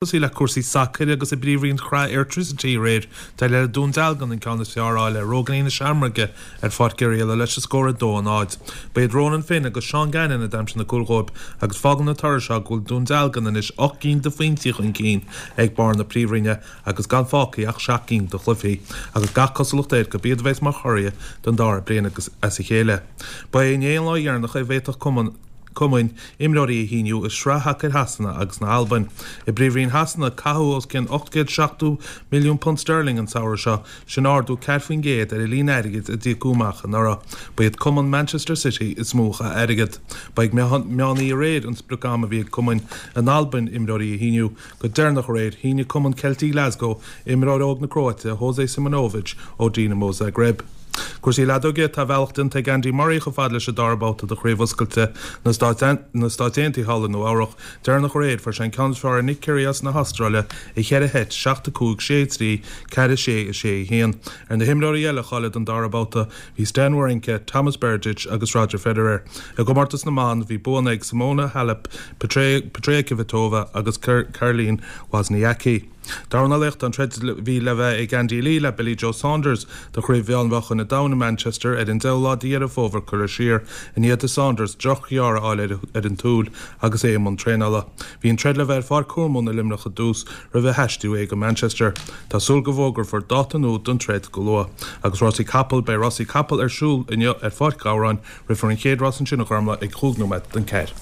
Tosaí le cúrsaí sacair agus i bPríomhroinn Shraith Airtricity aréir, d'éirigh le Dún Dealgan an ceann is fearr a fháil ar Rógainí na Seamróige ar Pháirc Oirialla leis an scór 2-0. Ba iad Ronan Finn agus Seán Gannon a d'aimsigh na cúil dhóibh agus fágann an toradh seo go bhfuil Dún Dealgan anois 8 gcinn de phointí chun cinn ag barr na Príomhroinne agus gan fágtha ach 7 gcinn de chluichí agus gach cosúlacht air gurb iad a bheas mar churaidh don dara bliain as a chéile. Ba é inné an lá dheireanach a bhféadfadh cumann cumainn imreoirí a shíniú i Sraith Shacair Shasana agus na hAlbain. I bPríomhroinn Shasana, caitheadh os cionn £870 milliún sterling an samhradh seo, sin ardú 4% ar an líon airgid a d'íocadh amach anuraidh. Ba iad cumann Manchester City is mó a chaith airgead. Ba ag meán oíche aréir an sprioc-am a bhí ag cumainn in Albain imreoirí a shíniú. Go deireanach aréir, shínigh cumann Celtic Glasgow imreoir óg na Cróite, Jose Simunovic, ó Dinamo Zagreb. Cúrsaí leadóige, Tá a bhealach déanta ag Andy Murray chomh fada leis an dara babhta de Chraobh Oscailte na Stáit Aontaithe thall i Nua Eabhrach. Deireanach aréir, fuair sé an ceann is fearr ar Nick Kyrgios na hAstráile i cheithre sheit, 7, 5, 6, 3, 4, 6, 6, 1. Ar na himreoirí eile a cháiligh don dara babhta, bhí Stan Wawrinka, Tomas Berdych agus Roger Federer. I gcomórtas na mban, bhí buanna ag Simona Halep, Petra Kvitova agus Caroline Wozniacki. Dornálaíocht, An troid a bhí le bheith ag Andy Lee le Billy Joe Saunders do Chraobh Mheánmheáchain an Domhain i Manchester ar an 10ú lá de Dheireadh Fómhair curtha siar i ndiaidh do Saunders drochghearradh a fháil ar an tsúil agus é i mbun traenála. Bhí an troid le bheith ar Pháirc Thormóin i Luimneach i dtús roimh a haistriú é go Manchester. Tá súil go bhfógrófar dáta nua don troid go luath. Agus rásaí capall, Beidh rásaí capall ar siúl inniu ar Pháirc Ghabhráin. Rithfear an chéad rás ansin a Ghormlaith ag chúig nóiméad don ceathair.